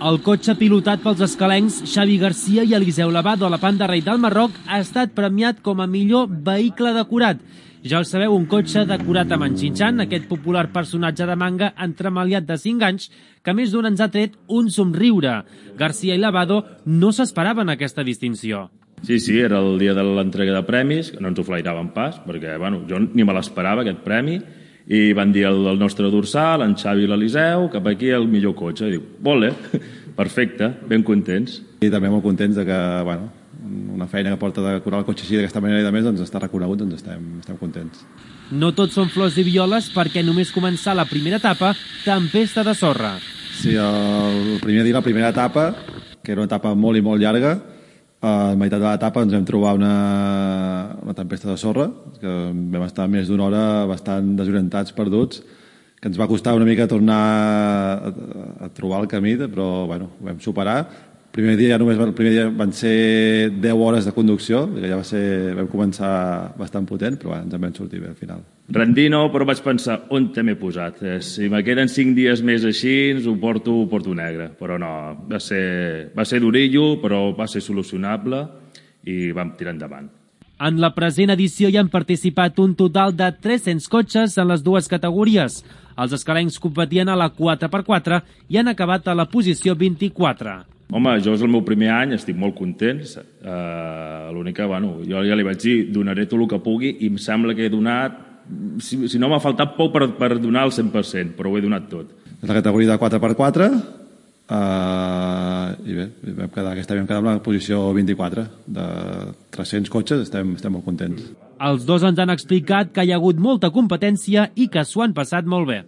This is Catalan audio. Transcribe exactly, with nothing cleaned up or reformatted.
El cotxe pilotat pels escalencs Xavi Garcia i Eliseu Lavado a la Panda Rei del Marroc ha estat premiat com a millor vehicle decorat. Ja el sabeu, un cotxe decorat amb en Xinxan, aquest popular personatge de manga entremaliat de cinc anys, que més d'un ens ha tret un somriure. Garcia i Lavado no s'esperaven aquesta distinció. Sí, sí, era el dia de l'entrega de premis, que no ens ho flairaven pas, perquè bueno, jo ni me l'esperava, aquest premi, i van dir el, el nostre dorsal, en Xavi i l'Eliseu, cap aquí el millor cotxe. I diu, vole, perfecte, ben contents. I també molt contents de que, bueno, una feina que porta de decorar el cotxe així d'aquesta manera i de més, doncs està reconegut, doncs estem, estem contents. No tot són flors i violes perquè només començar la primera etapa, tempesta de sorra. Sí, el primer dia, la primera etapa, que era una etapa molt i molt llarga, a meitat de l'etapa ens vam trobar una, una tempesta de sorra, que vam estar més d'una hora bastant desorientats, perduts, que ens va costar una mica tornar a, a trobar el camí, però bueno, ho vam superar. El primer dia, ja només, el primer dia van ser deu hores de conducció, que ja va ser, vam començar bastant potent, però bueno, ens en vam sortir bé al final. Rendir no, però vaig pensar, on te m'he posat? Si me queden cinc dies més així, ho porto, ho porto negre. Però no, va ser, va ser durillo, però va ser solucionable i vam tirar endavant. En la present edició hi han participat un total de tres-cents cotxes en les dues categories. Els escalencs competien a la quatre per quatre i han acabat a la posició vint-i-quatre. Home, jo és el meu primer any, estic molt content. Uh, L'únic que, bueno, jo ja li vaig dir, donaré tot el que pugui i em sembla que he donat, si, si no m'ha faltat poc per, per donar el cent per cent, però ho he donat tot. És la categoria de quatre per quatre uh, i bé, vam quedar, aquesta vam quedar en la posició vint-i-quatre. De tres-cents cotxes estem, estem molt contents. Els dos ens han explicat que hi ha hagut molta competència i que s'ho han passat molt bé.